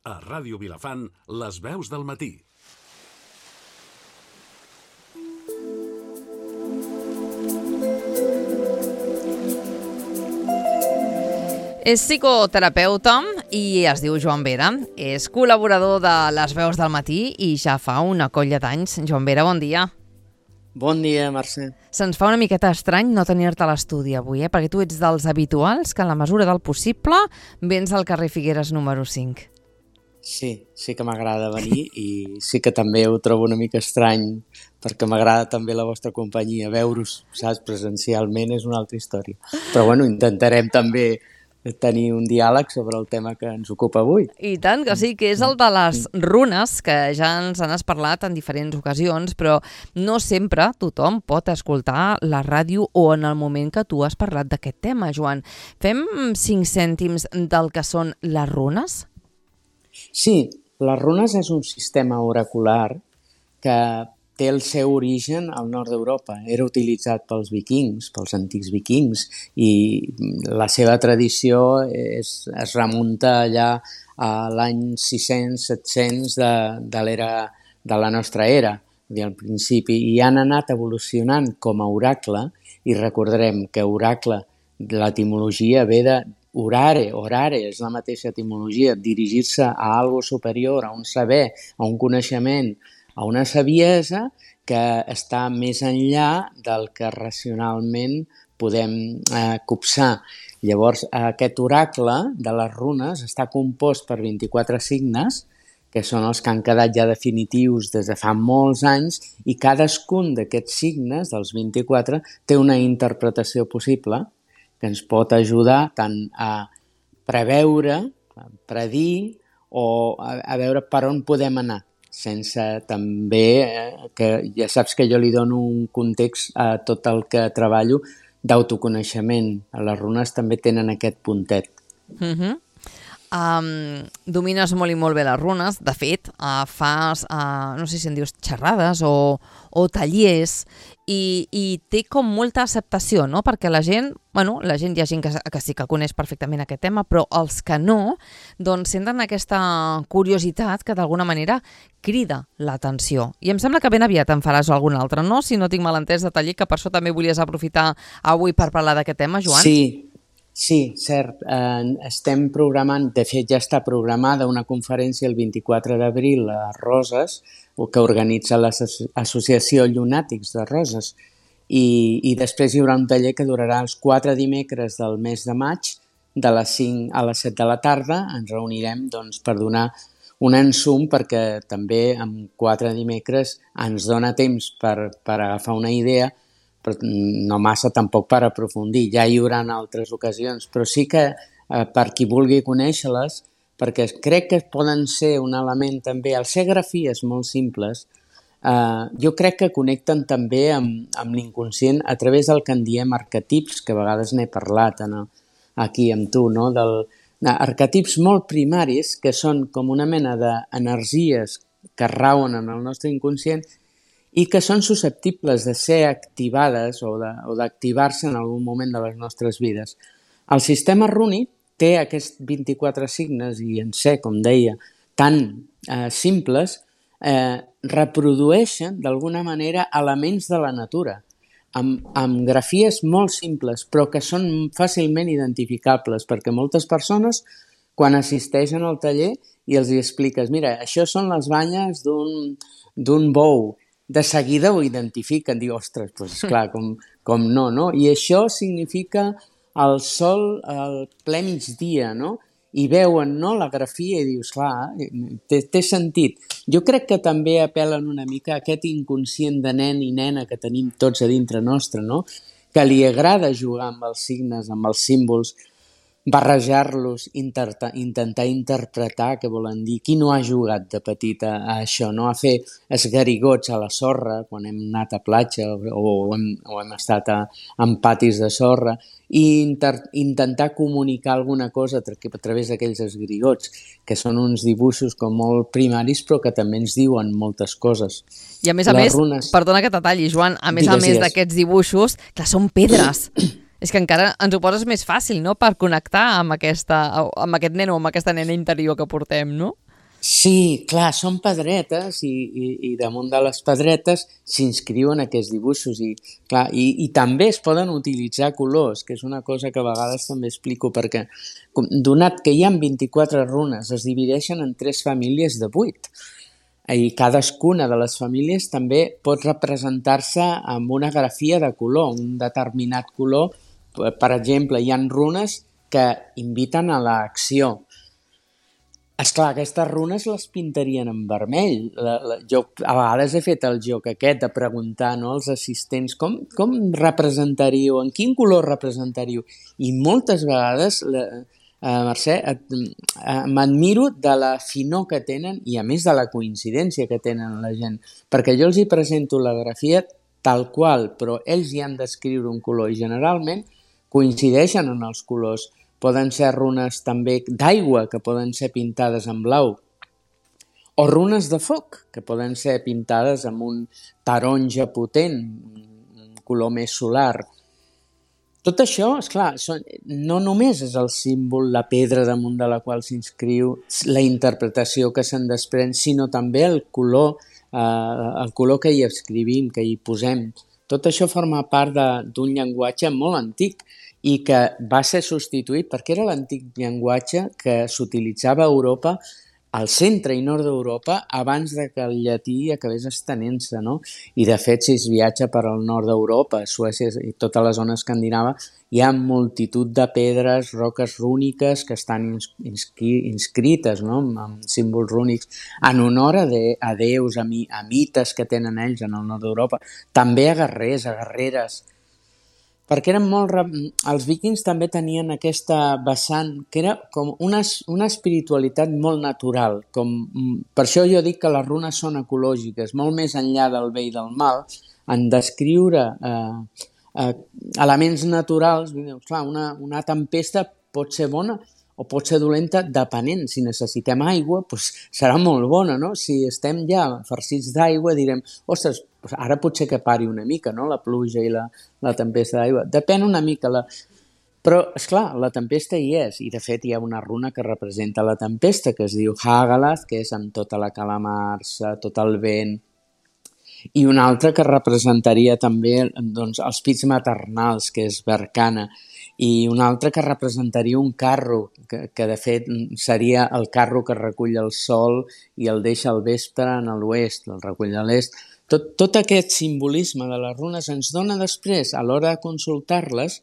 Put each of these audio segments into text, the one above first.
A Ràdio Vilafant, les veus del matí. És psicoterapeuta i es diu Joan Vera. És col·laborador de Les Veus del Matí i ja fa una colla d'anys. Joan Vera, bon dia. Bon dia, Mercè. Se'ns fa una miqueta estrany no tenir-te a l'estudi avui, perquè tu ets dels habituals que en la mesura del possible vens al carrer Figueres número 5. Sí que m'agrada venir i sí que també ho trobo una mica estrany perquè m'agrada també la vostra companyia. Veure-us, saps, presencialment és una altra història. Però bueno, intentarem també tenir un diàleg sobre el tema que ens ocupa avui. I tant que sí, que és el de les runes, que ja ens n'has parlat en diferents ocasions, però no sempre tothom pot escoltar la ràdio o en el moment que tu has parlat d'aquest tema, Joan. Fem 5 cèntims del que són les runes? Sí, les runes és un sistema oracular que té el seu origen al nord d'Europa. Era utilitzat pels vikings, pels antics vikings, i la seva tradició es remunta allà a l'any 600-700 de l'era de la nostra era, al principi, i han anat evolucionant com a oracle, i recordarem que oracle, l'etimologia ve de orare, és la mateixa etimologia, dirigir-se a algo superior, a un saber, a un coneixement, a una saviesa que està més enllà del que racionalment podem copsar. Llavors, aquest oracle de les runes està compost per 24 signes, que són els que han quedat ja definitius des de fa molts anys, i cadascun d'aquests signes, dels 24, té una interpretació possible que ens pot ajudar tant a preveure, a predir o a veure per on podem anar, sense també, que ja saps que jo li dono un context a tot el que treballo d'autoconeixement. Les runes també tenen aquest puntet. Domines molt i molt bé les runes. De fet, fas, no sé si en dius xerrades o tallers, i té com molta acceptació, no? Perquè la gent, hi ha gent que sí que coneix perfectament aquest tema, però els que no, doncs senten aquesta curiositat que d'alguna manera crida l'atenció. I em sembla que ben aviat en faràs algun altre, no? Si no tinc mal entès de taller, que per això també volies aprofitar avui per parlar d'aquest tema, Joan. Sí, cert. Estem programant, de fet ja està programada una conferència el 24 d'abril a Roses, que organitza l'Associació Llunàtics de Roses, i després hi haurà un taller que durarà els 4 dimecres del mes de maig, de les 5 a les 7 de la tarda. Ens reunirem per donar un ensum, perquè també en 4 dimecres ens dona temps per agafar una idea, però no massa tampoc per aprofundir. Ja hi haurà altres ocasions, però sí que per qui vulgui conèixer-les, perquè crec que poden ser un element també, al ser grafies molt simples, jo crec que connecten també amb l'inconscient a través del que en diem arquetips, que a vegades n'he parlat aquí amb tu, no? Arquetips molt primaris, que són com una mena d'energies que rauen en el nostre inconscient i que són susceptibles de ser activades o d'activar-se en algun moment de les nostres vides. El sistema rúnic té aquests 24 signes i en ser, com deia, tan simples, reprodueixen d'alguna manera elements de la natura, amb grafies molt simples, però que són fàcilment identificables, perquè moltes persones, quan assisteixen al taller i els hi expliques, mira, això són les banyes d'un bou, de seguida ho identifiquen, diu, ostres, doncs clar, com no? I això significa el sol al ple migdia, no? I veuen, no?, la grafia i dius, clar, té sentit. Jo crec que també apel·len una mica a aquest inconscient de nen i nena que tenim tots a dintre nostre, no?, que li agrada jugar amb els signes, amb els símbols, barrejar-los, intentar interpretar què volen dir. Qui no ha jugat de petit a això, no? A fer esgarigots a la sorra quan hem anat a platja o hem estat en patis de sorra, i intentar comunicar alguna cosa a través d'aquells esgarigots, que són uns dibuixos com molt primaris però que també ens diuen moltes coses. I a més, perdona que t'atalli, Joan, a més d'aquests dibuixos, clar, són pedres. És que encara ens ho poses més fàcil, no?, per connectar amb aquest nen o amb aquesta nena interior que portem, no? Sí, clar, són pedretes i damunt de les pedretes s'inscriuen aquests dibuixos clar, i també es poden utilitzar colors, que és una cosa que a vegades també explico perquè donat que hi ha 24 runes, es divideixen en 3 famílies de 8 i cadascuna de les famílies també pot representar-se amb una grafia de color, un determinat color. Per exemple, hi ha runes que inviten a l'acció. Esclar, aquestes runes les pintarien en vermell. Jo a vegades he fet el joc aquest de preguntar, no, als assistents com representaríeu, en quin color representaríeu? I moltes vegades, Mercè, m'admiro de la finor que tenen i a més de la coincidència que tenen la gent. Perquè jo els hi presento la grafia tal qual, però ells hi han d'escriure un color i generalment coincideixen en els colors. Poden ser runes també d'aigua, que poden ser pintades en blau, o runes de foc, que poden ser pintades amb un taronja potent, un color més solar. Tot això, esclar, no només és el símbol, la pedra damunt de la qual s'inscriu, la interpretació que se'n desprèn, sinó també el color que hi escrivim, que hi posem. Tot això forma part d'un llenguatge molt antic, i que va ser substituït perquè era l'antic llenguatge que s'utilitzava a Europa, al centre i nord d'Europa, abans de que el llatí acabés estenent-se, no? I de fet, si es viatja per al nord d'Europa, Suècia i tota la zona escandinava, hi ha multitud de pedres, roques rúniques que estan inscrites, no? Amb símbols rúnics, en honor a déus, a mites que tenen ells en el nord d'Europa. També a guerrers, a guerreres, perquè eren els vikings també tenien aquesta vessant que era com una espiritualitat molt natural. Per això jo dic que les runes són ecològiques, molt més enllà del bé i del mal, en descriure elements naturals. Clar, una tempesta pot ser bona o pot ser dolenta depenent. Si necessitem aigua, doncs serà molt bona, no? Si estem ja farcits d'aigua, direm, ostres, ara potser que pari una mica, no?, la pluja i la tempesta d'aigua. Depèn una mica. Però, esclar, la tempesta hi és, i de fet hi ha una runa que representa la tempesta, que es diu Hagalath, que és amb tota la calamarsa, tot el vent, i una altra que representaria també doncs, els pits maternals, que és Vercana, i una altra que representaria un carro, que de fet seria el carro que recull el sol i el deixa al vespre en l'oest, el recull a l'est. Tot aquest simbolisme de les runes ens dona després, a l'hora de consultar-les,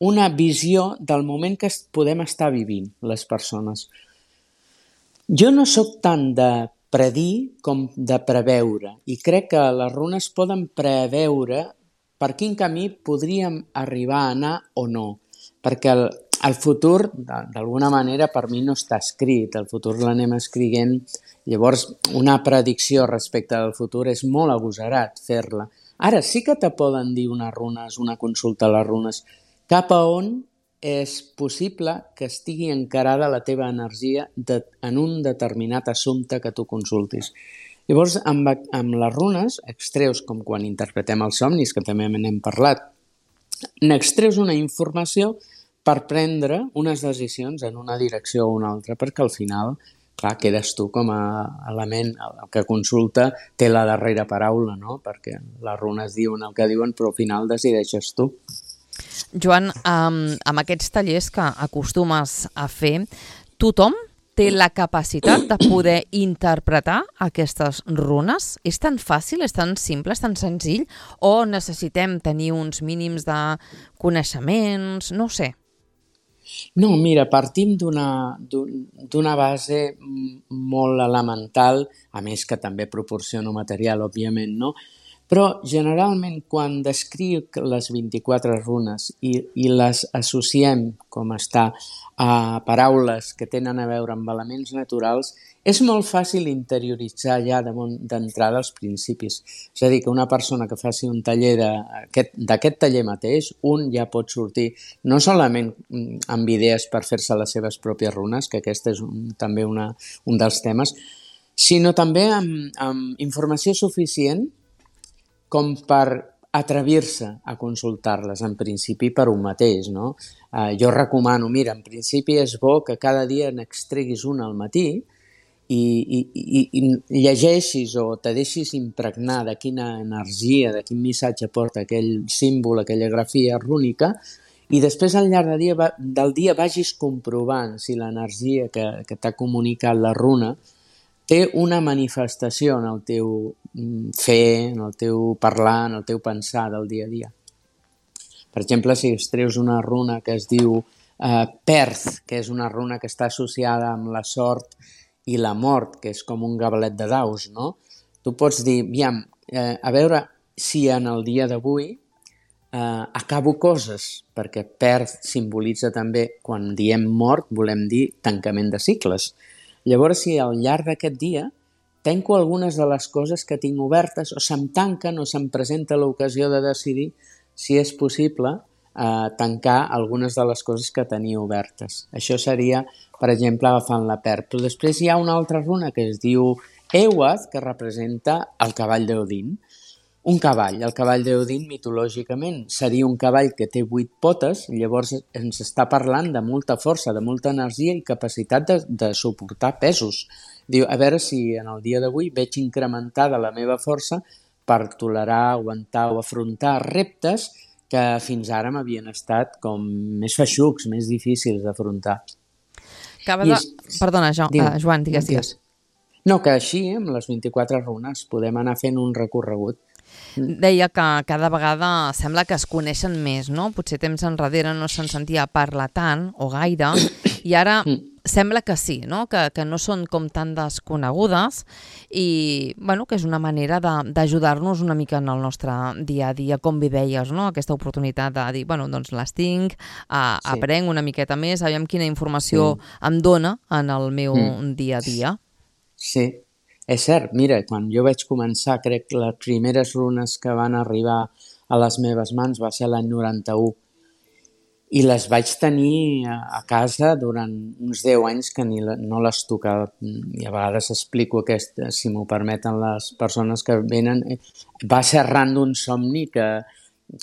una visió del moment que podem estar vivint les persones. Jo no sóc tant de predir com de preveure, i crec que les runes poden preveure per quin camí podríem arribar a anar o no, perquè el futur, d'alguna manera, per mi no està escrit, el futur l'anem escrivint, llavors una predicció respecte al futur és molt agosarat fer-la. Ara sí que te poden dir unes runes, una consulta a les runes, cap a on és possible que estigui encarada la teva energia en un determinat assumpte que tu consultis. Llavors, amb les runes, extreus com quan interpretem els somnis, que també n'hem parlat, n'extreus una informació per prendre unes decisions en una direcció o una altra, perquè al final, clar, quedes tu com a element, el que consulta té la darrera paraula, no? Perquè les runes diuen el que diuen, però al final decideixes tu. Joan, amb aquests tallers que acostumes a fer, tothom té la capacitat de poder interpretar aquestes runes? És tan fàcil, és tan simple, és tan senzill? O necessitem tenir uns mínims de coneixements? No ho sé. No, mira, partim d'una base molt elemental, a més que també proporciono material, òbviament, no? Però generalment quan descric les 24 runes i les associem, com està, a paraules que tenen a veure amb elements naturals, és molt fàcil interioritzar ja d'entrada els principis. És a dir, que una persona que faci un taller d'aquest taller mateix, un ja pot sortir no solament amb idees per fer-se les seves pròpies runes, que aquest és també un dels temes, sinó també amb informació suficient com per atrevir-se a consultar-les, en principi per un mateix, no? Jo recomano, mira, en principi és bo que cada dia n'extreguis una al matí i llegeixis o te deixis impregnar de quina energia, de quin missatge porta aquell símbol, aquella grafia rúnica, i després al llarg del dia vagis comprovant si l'energia que t'ha comunicat la runa té una manifestació en el teu fer, en el teu parlar, en el teu pensar del dia a dia. Per exemple, si es treus una runa que es diu Perth, que és una runa que està associada amb la sort i la mort, que és com un gabelet de daus, no? Tu pots dir, a veure si en el dia d'avui acabo coses, perquè Perth simbolitza també, quan diem mort, volem dir tancament de cicles. Llavors, si al llarg d'aquest dia tanco algunes de les coses que tinc obertes, o se'm tanquen o se'm presenta l'ocasió de decidir si és possible tancar algunes de les coses que tenia obertes. Això seria, per exemple, agafant la Perth. Però després hi ha una altra runa que es diu Ewath, que representa el cavall d'Odin. Un cavall. El cavall d'Odin, mitològicament, seria un cavall que té 8 potes, llavors ens està parlant de molta força, de molta energia i capacitat de suportar pesos. Diu, a veure si en el dia d'avui veig incrementada la meva força per tolerar, aguantar o afrontar reptes que fins ara m'havien estat com més feixucs, més difícils d'afrontar. Perdona, Joan, digues. No, que així, amb les 24 runes, podem anar fent un recorregut. Deia que cada vegada sembla que es coneixen més, no? Potser temps enrere no se'n sentia parlar tant o gaire, i ara sembla que sí, no? Que no són com tan desconegudes i bueno, que és una manera d'ajudar-nos una mica en el nostre dia a dia, com bé deies, no? Aquesta oportunitat de dir, bueno, doncs les tinc, aprenc una miqueta més, aviam quina informació em dona en el meu dia a dia. Sí, és cert. Mira, quan jo vaig començar, crec que les primeres runes que van arribar a les meves mans va ser l'any 91 i les vaig tenir a casa durant uns 10 anys que no les tocava. I a vegades explico aquesta, si m'ho permeten les persones que venen. Va ser arran d'un somni que,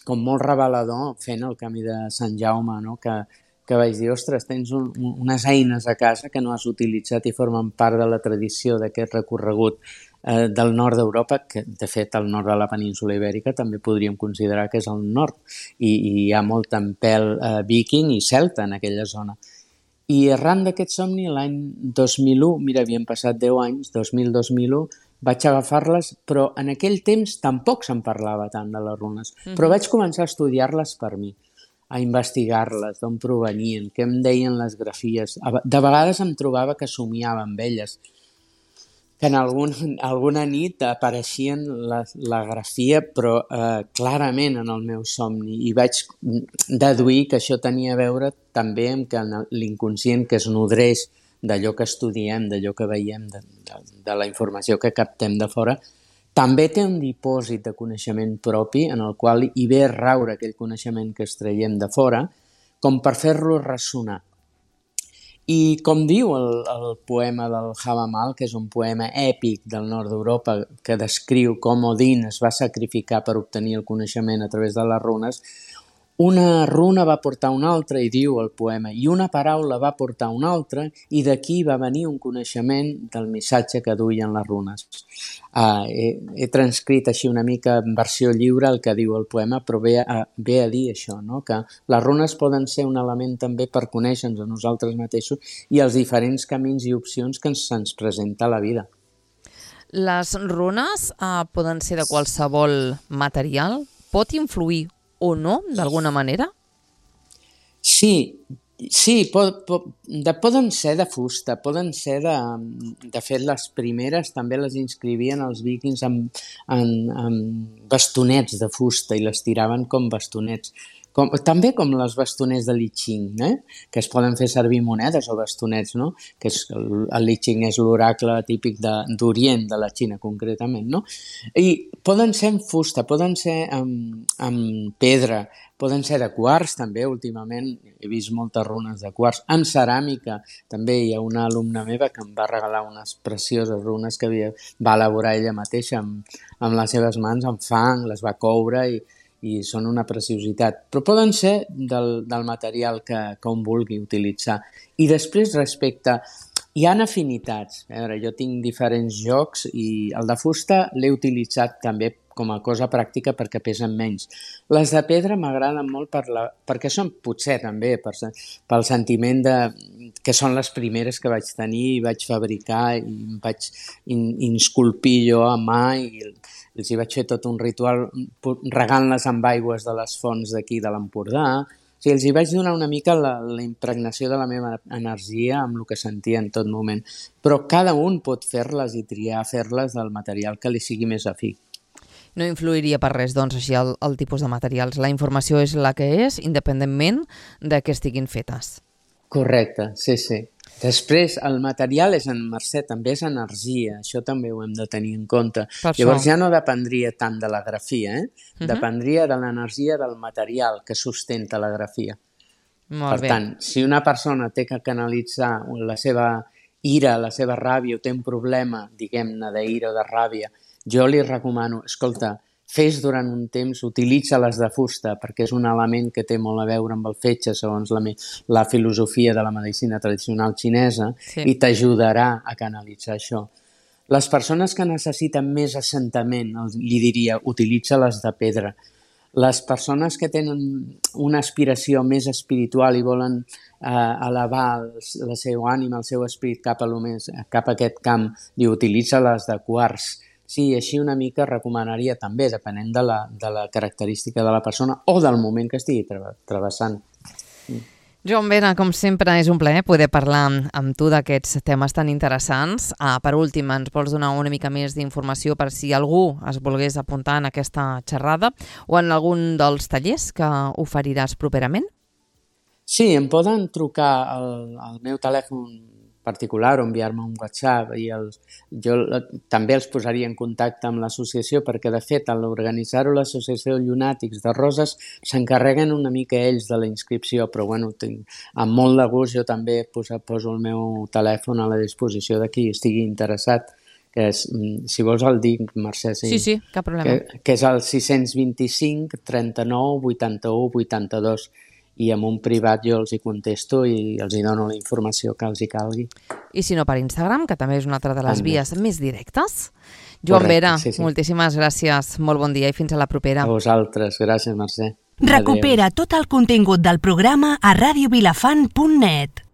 com molt revelador, fent el camí de Sant Jaume, no? Que vaig dir, ostres, tens unes eines a casa que no has utilitzat i formen part de la tradició d'aquest recorregut del nord d'Europa, que de fet el nord de la península Ibèrica també podríem considerar que és el nord, i hi ha molt tempel viking i celta en aquella zona. I arran d'aquest somni, l'any 2001, mira, havien passat 10 anys, 2000-2001, vaig agafar-les, però en aquell temps tampoc se'n parlava tant de les runes, però vaig començar a estudiar-les per mi, a investigar-les, d'on provenien, què em deien les grafies. De vegades em trobava que somiava amb elles, que en alguna nit apareixien la grafia, però clarament en el meu somni, i vaig deduir que això tenia a veure també amb que l'inconscient, que es nodreix d'allò que estudiem, d'allò que veiem, de la informació que captem de fora, també té un dipòsit de coneixement propi en el qual hi ve a raure aquell coneixement que extraiem de fora, com per fer-lo ressonar. I com diu el poema del Havamal, que és un poema èpic del nord d'Europa que descriu com Odin es va sacrificar per obtenir el coneixement a través de les runes, una runa va portar una altra, i diu el poema, i una paraula va portar una altra, i d'aquí va venir un coneixement del missatge que duien les runes. He transcrit així una mica en versió lliure el que diu el poema, però ve a dir això, no? Que les runes poden ser un element també per conèixer-nos a nosaltres mateixos i els diferents camins i opcions que se'ns presenta a la vida. Les runes poden ser de qualsevol material? Pot influir o no, d'alguna manera? Sí, poden ser de fusta, poden ser de fet, les primeres també les inscrivien els vikings amb bastonets de fusta i les tiraven com bastonets. També com les bastonets de Li Ching, que es poden fer servir monedes o bastonets, no? Que el Li Ching és l'oracle típic d'Orient, de la Xina concretament, no? I poden ser en fusta, poden ser amb pedra, poden ser de quars també. Últimament he vist moltes runes de quars, amb ceràmica. També hi ha una alumna meva que em va regalar unes precioses runes que va elaborar ella mateixa amb les seves mans, amb fang, les va coure i són una preciositat, però poden ser del material que un vulgui utilitzar. I després, respecte Hi ha afinitats. A veure, jo tinc diferents jocs i el de fusta l'he utilitzat també com a cosa pràctica perquè pesen menys. Les de pedra m'agraden molt perquè són potser també pel sentiment que són les primeres que vaig tenir i vaig fabricar i em vaig insculpir jo a mà i els hi vaig fer tot un ritual regant-les amb aigües de les fonts d'aquí de l'Empordà. O sigui, els hi vaig donar una mica la impregnació de la meva energia amb el que sentia en tot moment. Però cada un pot fer-les i triar fer-les del material que li sigui més afí. No influiria per res, doncs, així el tipus de materials. La informació és la que és, independentment de què estiguin fetes. Correcte, sí, sí. Després, el material Mercè, també és energia. Això també ho hem de tenir en compte. Llavors ja no dependria tant de la grafia, dependria de l'energia del material que sustenta la grafia. Molt bé. Per tant, si una persona té que canalitzar la seva ira, la seva ràbia, o té un problema, diguem-ne, d'ira o de ràbia, jo li recomano, escolta, fes durant un temps, utilitza-les de fusta, perquè és un element que té molt a veure amb el fetge, segons la filosofia de la medicina tradicional xinesa, i t'ajudarà a canalitzar això. Les persones que necessiten més assentament, li diria, utilitza-les de pedra. Les persones que tenen una aspiració més espiritual i volen elevar la seva ànima, el seu esperit cap a aquest camp, utilitza-les de quars. Sí, així una mica recomanaria també, depenent de la característica de la persona o del moment que estigui travessant. Joan Vera, com sempre, és un plaer poder parlar amb tu d'aquests temes tan interessants. Per últim, ens vols donar una mica més d'informació per si algú es volgués apuntar en aquesta xerrada o en algun dels tallers que oferiràs properament? Sí, em poden trucar al meu telèfon particular o enviar-me un WhatsApp i jo també els posaria en contacte amb l'associació perquè, de fet, a l'organitzar-ho l'associació Llunàtics de Roses s'encarreguen una mica ells de la inscripció, però bueno, amb molt de gust jo també poso el meu telèfon a la disposició de qui estigui interessat, que és, si vols el dic, Mercè. Sí, cap problema. Que és el 625 39 81 82. I en un privat jo els hi contesto i els hi dono la informació que els hi calgui. I si no, per Instagram, que també és una altra de les vies més directes. Joan Vera, moltíssimes gràcies, molt bon dia i fins a la propera. A vosaltres, gràcies, Mercè. Recupera tot el contingut del programa a radiovilafant.net.